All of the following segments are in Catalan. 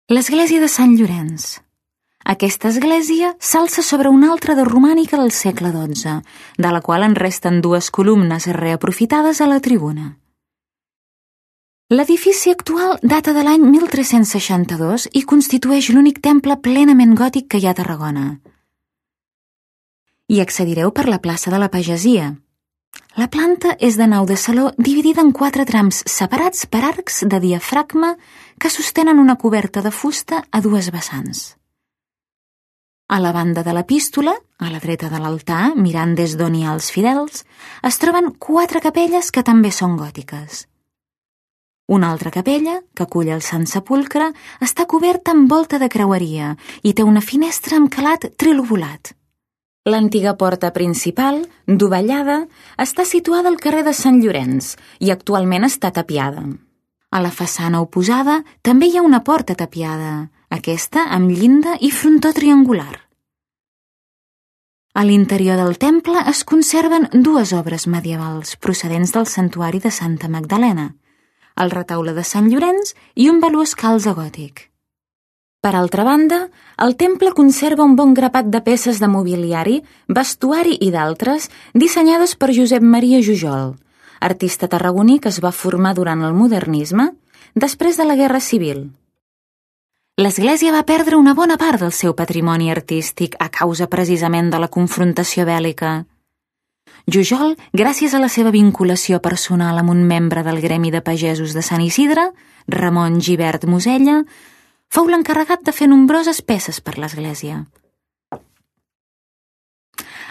L'església de Sant Llorenç. Aquesta església s'alça sobre una altra de romànica del segle XII, de la qual en resten dues columnes reaprofitades a la tribuna. L'edifici actual data de l'any 1362 i constitueix l'únic temple plenament gòtic que hi ha a Tarragona. Hi accedireu per la plaça de la Pagesia. La planta és de nau de saló dividida en 4 trams separats per arcs de diafragma que sostenen una coberta de fusta a 2 vessants. A la banda de l'epístola, a la dreta de l'altar, mirant des d'on hi ha els fidels, es troben 4 capelles que també són gòtiques. Una altra capella, que acull el Sant Sepulcre, està coberta amb volta de creueria i té una finestra amb calat trilobulat. L'antiga porta principal, dovellada, està situada al carrer de Sant Llorenç i actualment està tapiada. A la façana oposada també hi ha una porta tapiada, aquesta amb llinda i frontó triangular. A l'interior del temple es conserven 2 obres medievals procedents del santuari de Santa Magdalena, el retaule de Sant Llorenç i un valuós calze gòtic. Per altra banda, el temple conserva un bon grapat de peces de mobiliari, vestuari i d'altres dissenyades per Josep Maria Jujol, artista tarragoní que es va formar durant el modernisme després de la Guerra Civil. L'església va perdre una bona part del seu patrimoni artístic a causa precisament de la confrontació bèl·lica. Jujol, gràcies a la seva vinculació personal amb un membre del gremi de pagesos de Sant Isidre, Ramon Gibert Mosella, fou l'encarregat de fer nombroses peces per l'església.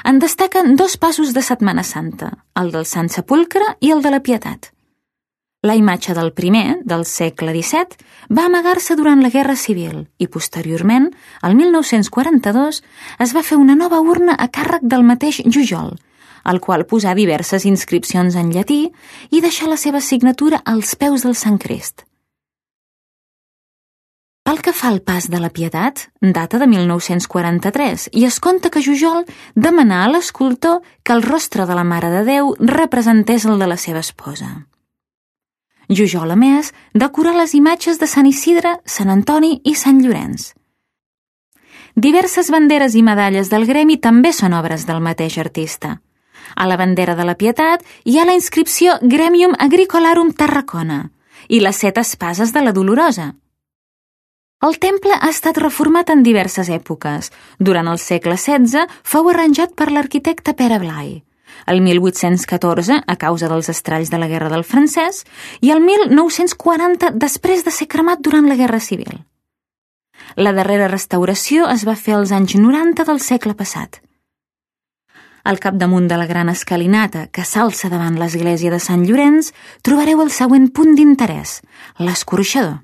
En destaquen 2 passos de Setmana Santa, el del Sant Sepulcre i el de la Pietat. La imatge del primer, del segle XVII, va amagar-se durant la Guerra Civil i, posteriorment, el 1942, es va fer una nova urna a càrrec del mateix Jujol, al qual posà diverses inscripcions en llatí i deixà la seva signatura als peus del Sant Crist. Pel que fa al pas de la Pietat, data de 1943 i es conta que Jujol demanà a l'escultor que el rostre de la Mare de Déu representés el de la seva esposa. Jujol, a més, decorà les imatges de Sant Isidre, Sant Antoni i Sant Llorenç. Diverses banderes i medalles del gremi també són obres del mateix artista. A la bandera de la Pietat hi ha la inscripció Gremium Agricolarum Tarracona i les 7 espases de la Dolorosa. El temple ha estat reformat en diverses èpoques. Durant el segle XVI fou arranjat per l'arquitecte Pere Blai, el 1814 a causa dels estralls de la Guerra del Francès i el 1940 després de ser cremat durant la Guerra Civil. La darrera restauració es va fer als anys 90 del segle passat. Al capdamunt de la gran escalinata que s'alça davant l'església de Sant Llorenç trobareu el següent punt d'interès, l'escorxador.